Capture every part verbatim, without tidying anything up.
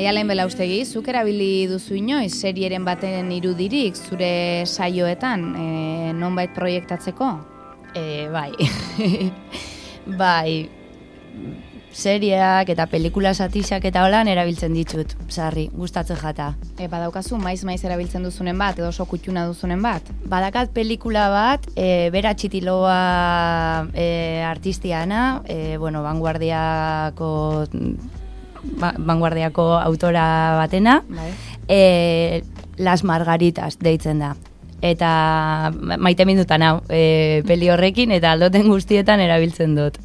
Maialen Belaustegi, zuk erabili duzu inoiz serieren baten irudirik zure saioetan, e, nonbait proiektatzeko? E, bai, bai, serieak eta pelikula satixak eta holan erabiltzen ditut, sarri, gustatzen jata. E, badaukazu, maiz-maiz erabiltzen duzunen bat, edo oso kutxuna duzunen bat? Badakat pelikula bat, e, Bera Txitiloa e, artistiana, e, bueno, vanguardiako, ba, vanguardiako autora batena, bai. e, Las Margaritas deitzen da. Eta maite mindutan hau, e, peli horrekin, eta aldoten guztietan erabiltzen dut.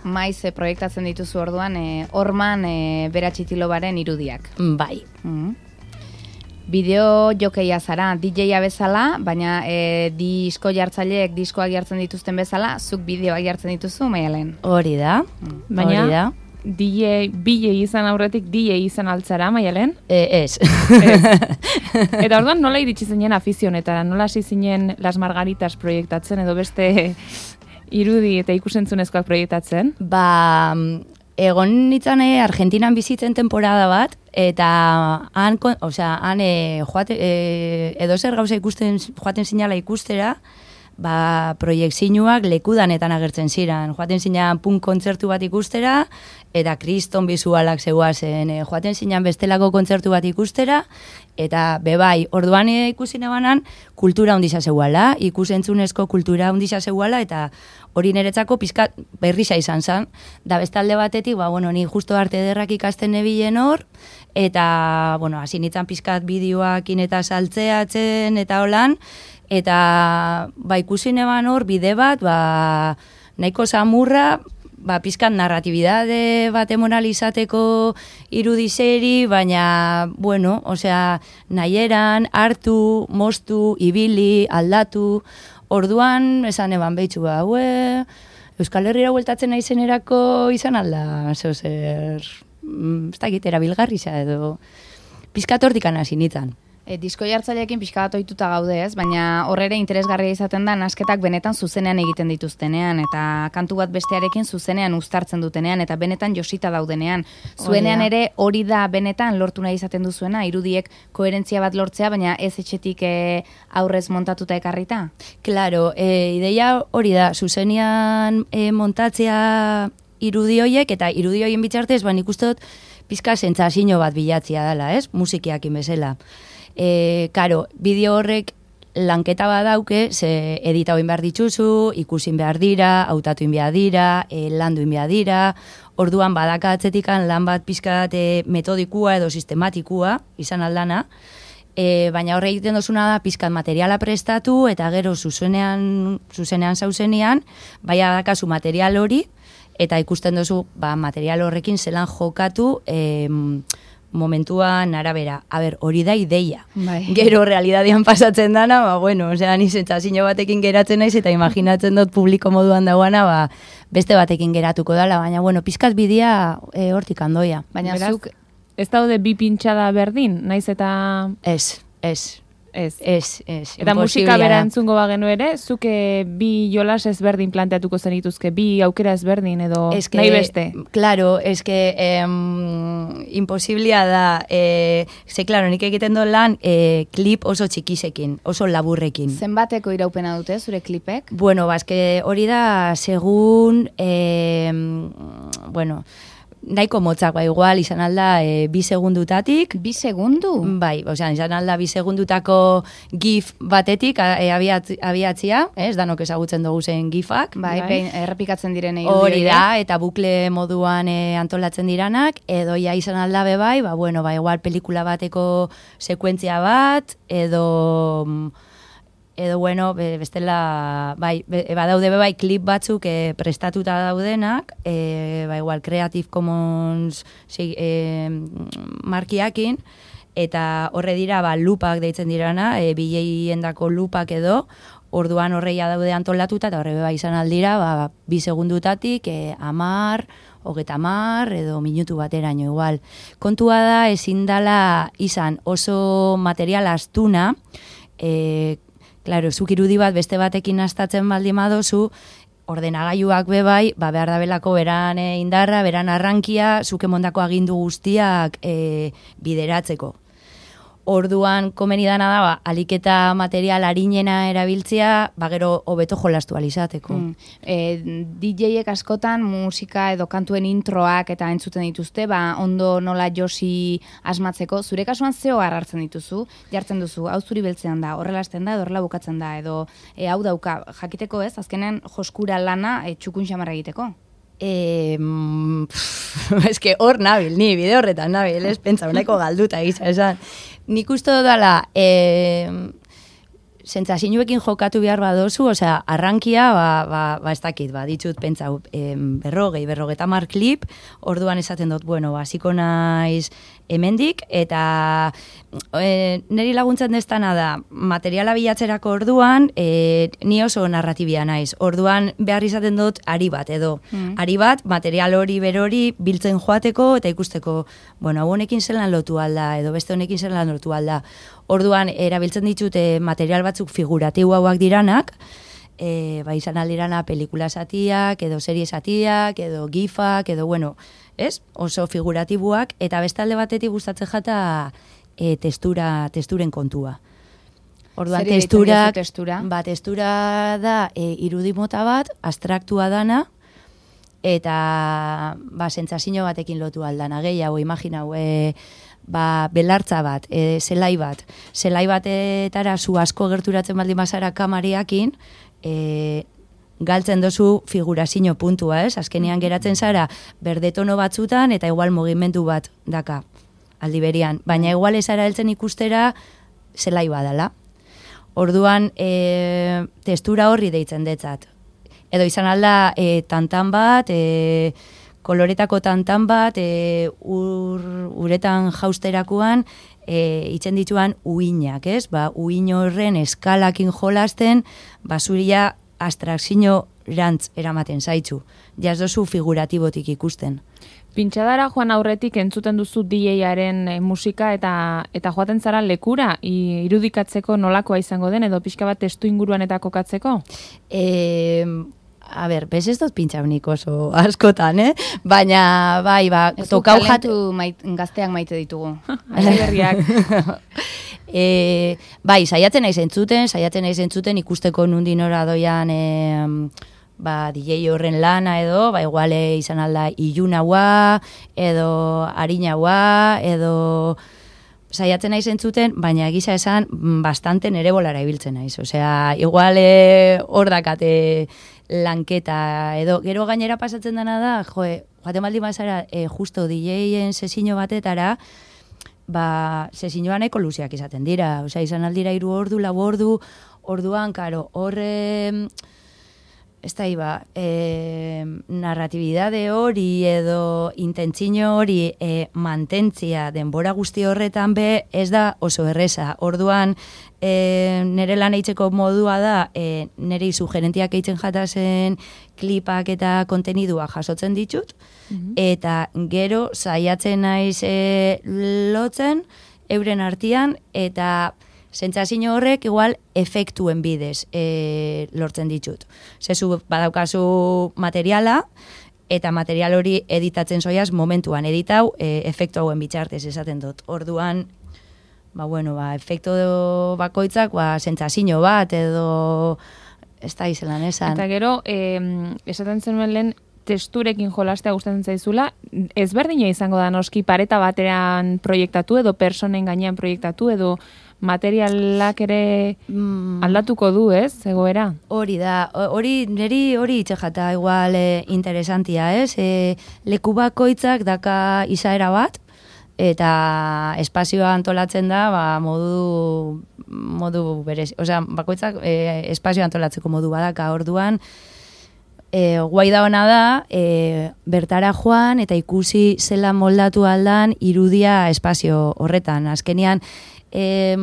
Maiz e, proiektatzen dituzu orduan, e, horman e, Bera Txitilobaren irudiak. Bai. Mm. Bideo jokeia zara, D J-a bezala, baina e, disko jartzaileek diskoak jartzen dituzten bezala, zuk bideoak jartzen dituzu, Maialen? Hori da, Mm. baina, hori da. D J, B J izan aurretik D J izan altzara, Maialen? E, ez. Ez. Eta orduan nola iritsi zinen afizionetara, nola hasi zinen Las Margaritas proiektatzen edo beste irudi eta ikusentzunezkoak proiektatzen? Ba, egon nintzen e, Argentinan bizitzen temporada bat, eta han, osea, han e, joate, e, edo zer gauza ikusten, joaten zinala ikustera, ba, proiektzioak lekudanetan agertzen ziren. Joaten zinean punk kontzertu bat ikustera, eta kriston bizualak zeuazen. E, joaten zinean bestelako kontzertu bat ikustera, eta bebai, orduan e, ikusi nebanan, kultura ondisa zeuala, ikusentzunezko kultura ondisa zeuala, eta hori niretzako pizkat berrisa izan zen. Da bestalde batetik, ba, bueno, ni justo arte ederrak ikasten nebilen hor, eta, bueno, hasi nintzen pizkat bideoakin eta saltzeatzen, eta holan, eta ba, ikusi neban hor bide bat, ba, nahiko samurra, ba, pizkat narratibidade bat emonalizateko irudizeri, baina, bueno, osea, nahieran, hartu, moztu, ibili, aldatu, orduan, esan eban behitxu, ba, hue, Euskal Herriera bueltatzen naizenerako izan alda, zeo zer, ez da egitera bilgarriza edo, pizkat hortikan hasi nintzen. E, disko jartzaileekin pixka bat ohituta gaude, ez? Baina horrere interesgarria izaten da nasketak benetan zuzenean egiten dituztenean, eta kantu bat bestearekin zuzenean uztartzen dutenean, eta benetan josita daudenean. Zuenean ere hori da benetan lortu nahi izaten duzuena, irudiek koherentzia bat lortzea, baina ez etxetik e, aurrez montatuta ekarrita? Claro, e, ideia hori da, zuzenean e, montatzea irudi horiek, eta irudi horien bitxartez, ban ikustot pizka sentsazio bat bilatzia dela, ez? Musikiakin bezala. E, karo, bideo horrek lanketa badauke, ze edita oin behar dituzu, ikusin behar dira, hautatu behar dira, e, landu behar dira, orduan badaka atzetikan lan bat pizkat e, metodikua edo sistematikua, izan aldana, e, baina horre egiten dozuna da pizkat materiala prestatu, eta gero zuzenean, zuzenean zauzenean, baina dakazu material hori, eta ikusten duzu ba, material horrekin zelan jokatu, e, momentuan arabera, a ber, hori da ideia. Bai. Gero realidadian pasatzen dana, ba, bueno, osea, ni sentsazio batekin geratzen naiz, eta imaginatzen dut publiko moduan dagoana, ba, beste batekin geratuko dala, baina, bueno, pizkat bidea e, hortik andoia. Baina Beraz, zuk... ez daude bi pintxada berdin, naiz eta... Ez, ez. Ez. Ez, ez. Eta musika bera entzungo bagenu ere, zuke bi jolas ezberdin planteatuko zenituzke, bi aukera ezberdin edo Eske, nahi beste. Claro, es que em, imposiblia da, eh, ze, claro, nik egiten do lan eh, klip oso txikisekin, oso laburrekin. Zenbateko iraupena dute zure klipek? Bueno, ba, eske hori da, segun, eh, bueno, nahiko motzak, ba, igual, izan alda e, bi segundutatik. Bi segundu? Bai, osea, izan alda bi segundutako gif batetik e, abiatz, abiatzia, ez, danok ezagutzen dugu zen gifak. Bai, bai. Behin, errepikatzen diren hori da, eta bukle moduan e, antolatzen diranak, edo ja izan alda be bai, ba, bueno, ba, igual pelikula bateko sekuentzia bat, edo... edo bueno, bestela, bai, badaude be bai klip batzuk e, prestatuta daudenak, e, ba igual Creative Commons e, markiakin, eta horre dira, ba, lupak deitzen dirana, e, bileiendako lupak edo, orduan horreia daude antolatuta, eta horre be bai izan aldira, ba, bi segundutatik, e, amar, hogeta amar, edo minutu bateraino igual. Kontua da, ezin dala izan oso material astuna, e, Claro, zuk irudi bat beste batekin astatzen baldin badozu, ordenagailuak bebai, ba, behar da belako beran e, indarra, beran arrankia, zuke mondako agindu guztiak e, bideratzeko. Orduan, komeni dana da, ba, aliketa material harinena erabiltzea, ba, gero hobeto jolastu alizateko. Mm. E, D J-ek askotan musika edo kantuen introak eta entzuten dituzte, ba, ondo nola josi asmatzeko, zure kasuan zeo hartzen dituzu, jartzen duzu, hau zuri beltzean da, horrela hasten da, edo horrela bukatzen da, edo e, hau dauka, jakiteko ez, azkenen joskura lana e, txukun xamarra egiteko. E, eske hor nabil, ni bide horretan nabil, ez pentsa, uneko galduta gisa esan. Nik uste dudala, e, sentsazioekin jokatu behar badozu, osea, arrankia, ba, ba, ba ez dakit, ba, ditut pentsa, e, berrogei, berrogeta mar klip, orduan esaten dut, bueno, basiko naiz hemendik, eta e, niri laguntzen destana da, materiala bilatzerako orduan, e, ni oso narratibia naiz, orduan behar izaten dut ari bat, edo mm. ari bat, material hori berori biltzen joateko, eta ikusteko, bueno, hau honekin zelan lotu alda, edo beste honekin zelan lotu alda. Orduan, erabiltzen ditute material batzuk figuratiboak diranak, e, ba, izan aldirana pelikula zatiak, edo serie zatiak, edo gifak, edo, bueno, ez? Oso figuratiboak, eta bestalde batetik gustatzen jata e, testura, testuren kontua. Orduan, testurak, testura? Ba, testura da e, irudi mota bat, abstraktua dana, eta ba, sentsazio batekin lotu aldana, gehiago, imaginau, e, ba, belartza bat, e, zelai bat, zelai batetara zu asko gerturatzen baldin bazara kamariakin, e, galtzen dozu figurazio puntua, ez? Azkenean geratzen zara berdetono batzutan eta igual mugimendu bat daka aldi berian, baina igual ezara heltzen ikustera zelai badala. Orduan, e, testura horri deitzen detzat. Edo izan alda e, tantan bat, e, koloretako tantan bat, e, ur, uretan jausterakoan, e, itzen dituan uinak, ez? Ba, uin horren eskalakin jolasten, basuria abstrakzio rantz eramaten zaitzu. Jaz dozu figuratibotik ikusten. Pintxadara joan aurretik entzuten duzu D J-aren e, musika eta eta joaten zara lekura i, irudikatzeko nolakoa izango den edo pixka bat testu inguruan eta kokatzeko? E, a ber, bez ez dut pintxaunik oso askotan, eh? Baina, bai, ba, tokau jatu... Mait, gazteak maite ditugu. Alegriak. e, bai, saiatzen naiz entzuten, saiatzen naiz entzuten ikusteko nundin ora doian... E, ba, D J horren lana edo, ba, iguale izan alda ilunaua, edo harinaua, edo saiatzen naiz entzuten, baina gisa esan bastante nere bolara ibiltzen naiz. Osea, iguale hor dakate lanketa, edo gero gainera pasatzen dena da, joe, joaten baldin bazara, e, justo D J-en sesino batetara, ba, sesinoan eko luziak izaten dira. Osea, izan aldira hiru ordu, lau ordu, orduan, karo, horre... Ez da, iba, e, narratibidade hori edo intentzio hori e, mantentzia denbora guzti horretan be ez da oso erreza. Orduan, e, nire lan eitzeko modua da, e, nire sugerentiak eitzen jatazen klipak eta kontenidua jasotzen ditut, mm-hmm. eta gero saiatzen naiz e, lotzen euren artean eta... Sentsazio horrek igual efektuen bidez e, lortzen ditut. Zezu badaukazu materiala, eta material hori editatzen zoiaz momentuan editau e, efektu hauen bitxartez esaten dut. Orduan, ba, bueno, ba, efektu bakoitzak ba, sentsazio bat edo ez da izelan esan. Eta gero, eh, esaten zenuen lehen, testurekin jolastea gustatzen zaizula, ezberdina izango da noski pareta batean proiektatu edo personen gainean proiektatu edo materialak ere aldatuko du, ez, egoera? Hori da, hori neri hori itxejata igual e, interesantia, ez? E, leku bakoitzak daka izaera bat, eta espazioa antolatzen da, ba, modu, modu berez, osea, bakoitzak e, espazioa antolatzeko modu badaka, orduan, E, guai da hona da, e, bertara joan eta ikusi zela moldatu aldan irudia espazio horretan. Azkenean, e,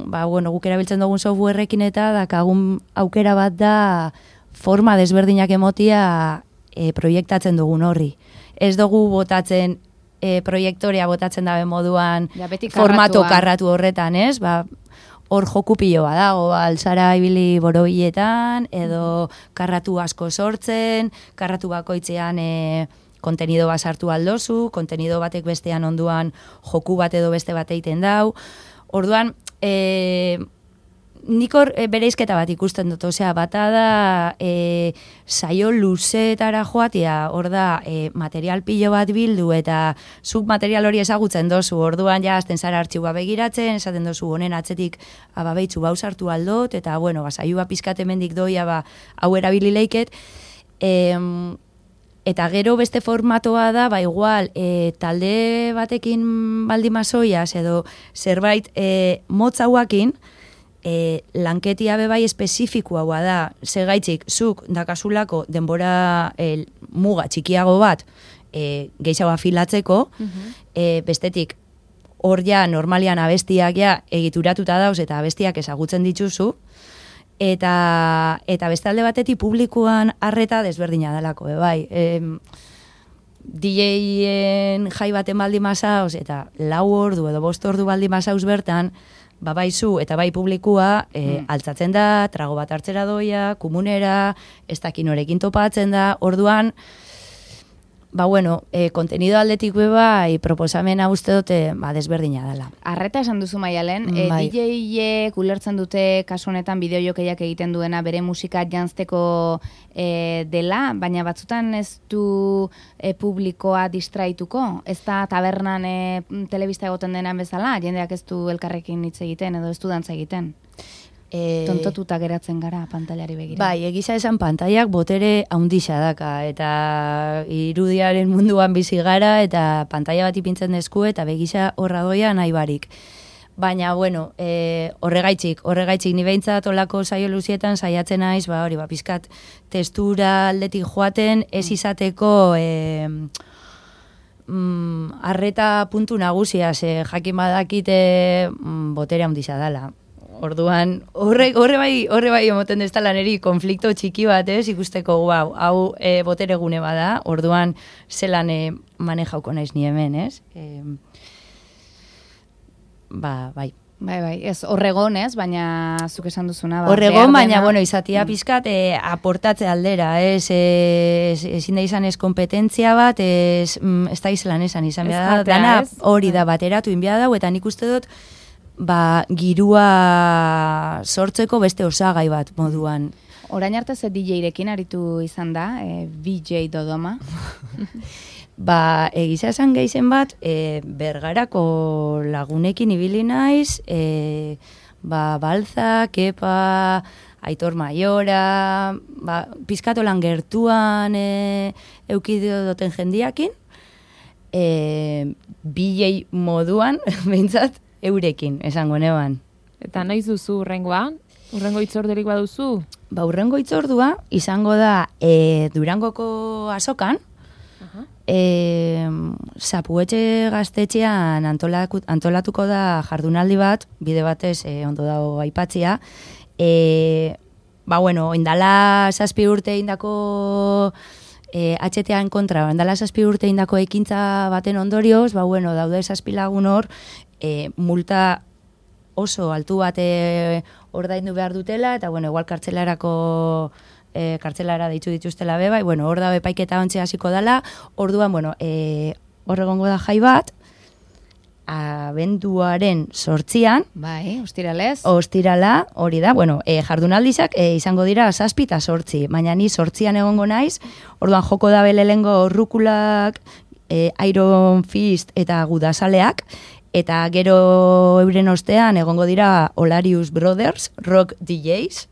ba, bueno, guk erabiltzen dugun softwareekin eta dakagun aukera bat da forma desberdinak emotia e, proiektatzen dugun horri. Ez dugu botatzen, e, proiektorea botatzen dabe moduan ja, formato karratu horretan, ez? Ba, hor joku pilo badago, alzara ibili borobiletan, edo karratu asko sortzen, karratu bakoitzean e, kontenido bat sartu aldozu, kontenido batek bestean onduan joku bat edo beste bat egiten dau. Orduan, e, nik hor e, bereizketa bat ikusten dut, osea, bata da e, saio luzeetara joatia, hor da e, material pilo bat bildu eta zuk material hori ezagutzen dozu, orduan ja azten zara artxiua begiratzen, esaten dozu honen atzetik ababeitzu bau sartu aldot, eta bueno, ba, saioa pizkat hemendik doia ba, hau erabili leiket, e, eta gero beste formatoa da, ba igual, e, talde batekin baldimazoiaz edo zerbait e, motzauakin, E, lanketia bebai espezifikoa da, segaitzik zuk dakasulako denbora e, muga txikiago bat e, gehiago afilatzeko, uh-huh. e, bestetik hor ja normalian abestiak ja egituratuta dauz eta abestiak ezagutzen dituzu, eta, eta beste alde batetik publikoan arreta desberdina dalako, bebai. E, D J-en jai baten baldi masauz eta lau ordu edo bost ordu baldi masauz bertan, ba bai zu eta bai publikua e, mm. altzatzen da, trago bat hartzera doia, kumunera, ez dakin horekin topatzen da, orduan, ba bueno, e, kontenido aldetik bai proposamena uste dute ba, desberdina dela. Arreta esan duzu Maialen, e, bai. D J-ek ulertzen dute kasu honetan bideojokeiak egiten duena bere musika janzteko e, dela, baina batzutan ez du e, publikoa distraituko, ez da tabernan e, telebista egoten denan bezala, jendeak ez du elkarrekin hitz egiten edo ez du dantza egiten. E... Tontotuta geratzen gara pantailari begira. Bai, egisa esan pantailak botere haundixa daka, eta irudiaren munduan bizi gara, eta pantaila bat ipintzen desku, eta begisa horra doia nahi barik. Baina, bueno, e, horregaitzik, horregaitzik, ni behintzat olako saio luzietan saiatzen naiz, ba, hori, ba, pizkat testura aldetik joaten, ez izateko... E, mm, arreta puntu nagusia, ze jakin badakite mm, botere haundixa dala. Orduan, horre, horre bai, horre bai emoten deztala neri konflikto txiki bat, ez, ikusteko, wow, hau e, botere gune bada, orduan zelan e, manejauko naiz ni hemen, ez? E, ba, bai. Bai, bai, ez horregon, ez, baina zuk esan duzuna. Ba, horregon, baina, bueno, izatia pizkat e, aportatze aldera, ez, ez, ezin da izan ez kompetentzia bat, ez, ez da izan esan izan, ez da, dana hori da bateratu inbia dau, eta nik uste dut, ba, girua sortzeko beste osagai bat moduan. Orain arte ze D J-rekin aritu izan da, e, B J Dodoma? Ba, egiza esan geizen bat, e, Bergarako lagunekin ibili naiz, e, ba, Balza, Kepa, Aitor Maiora, ba, pizkatolan gertuan e, eukidio duten jendiakin, e, B J moduan, behintzat, eurekin, esango neban. Eta noiz duzu urrengoa? Urrengo itzorderik baduzu? Ba, urrengo itzordua izango da e, Durangoko azokan, uh-huh. e, Zapuetxe gaztetxean antolatuko da jardunaldi bat, bide batez e, ondo dago aipatzia. E, ba, bueno, indala zazpi urte indako e, H T A-en kontra, indala zazpi urte indako ekintza baten ondorioz, ba, bueno, daude zazpi lagun hor, E, multa oso altu bat e, ordaindu behar dutela, eta, bueno, igual kartzelarako e, kartzelara deitzu dituztela beba, e, bueno, hor da bepaiketa ontxe hasiko dela, orduan, bueno, e, hor egongo da jai bat, abenduaren sortzian, bai, ostiralez, ostirala, hori da, bueno, e, jardunaldizak e, izango dira zazpi eta sortzi, baina ni sortzian egongo naiz, orduan joko da belelengo rukulak, e, Iron Fist eta gudazaleak, eta gero euren ostean egongo dira Olarius Brothers, rock D Js,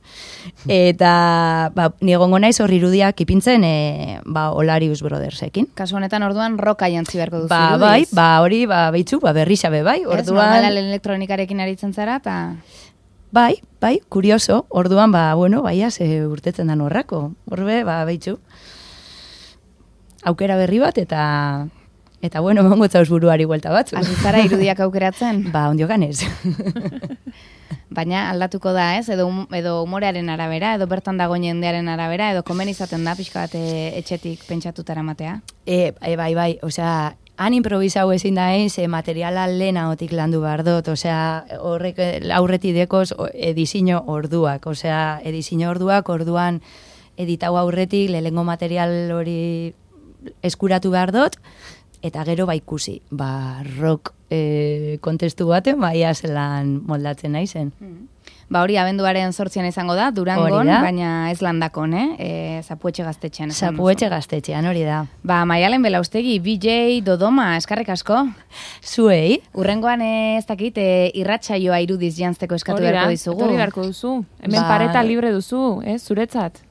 eta ba, ni egongo naiz horri irudiak ipintzen e, ba, Olarius Brothersekin. Kasu honetan orduan roka jantzi beharko duzu ba, irudiz. Bai, ba, hori, ba, behitzu, ba, berri xabe, bai. Orduan... Ez, normala elektronikarekin aritzen zara, eta... Bai, bai, kurioso, orduan, ba, bueno, bai, ze urtetzen dan horrako. Horbe, ba, behitzu. Aukera berri bat, eta... Eta, bueno, mongo etzauz buruari guelta batzu. Azitzara irudiak aukeratzen? Ba, ondio ganez. Baina aldatuko da, ez? Edo, edo humorearen arabera, edo bertan dagoen jendearen arabera, edo komen izaten da, pixka bat etxetik pentsatutara matea? E, e, bai, bai, osea, han improvisau ezin da egin, ze materiala lehenagotik landu behar dut, osea, horrek aurreti dekoz edizio orduak, osea, edizio orduak, orduan editau aurretik, lehengo material hori eskuratu behar dut, eta gero ba ikusi, ba rock e, kontestu baten, ba ia zelan moldatzen naizen. Mm. Ba hori abenduaren zortzian izango da, Durangon, baina ez landakon, eh? E, Zapuetxe gaztetxean. Zapuetxe gaztetxean, hori da. Ba, Maialen Belaustegi, B J Dodoma, eskarrik asko. Zuei. Urrengoan ez dakit, e, irratsaioa irudiz jantzeko eskatu beharko dizugu. Hori beharko duzu. Hemen ba... pareta libre duzu, eh? Zuretzat.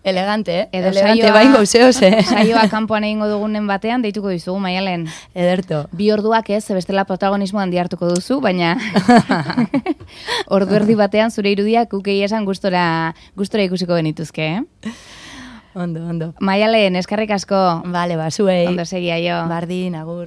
Elegante, eh? Edo elegante saioa, bain gauzeoz, eh? Saioa kanpoan egingo dugunen batean, deituko dizugu, Maialen. Ederto. Bi orduak ez, bestela protagonismo handi hartuko duzu, baina ordu erdi batean zure irudiak ukei esan gustora, gustora ikusiko genituzke, eh? Ondo, ondo. Maialen, eskarrik asko. Vale, ba, zuei. Ondo segia jo. Bardin, agur.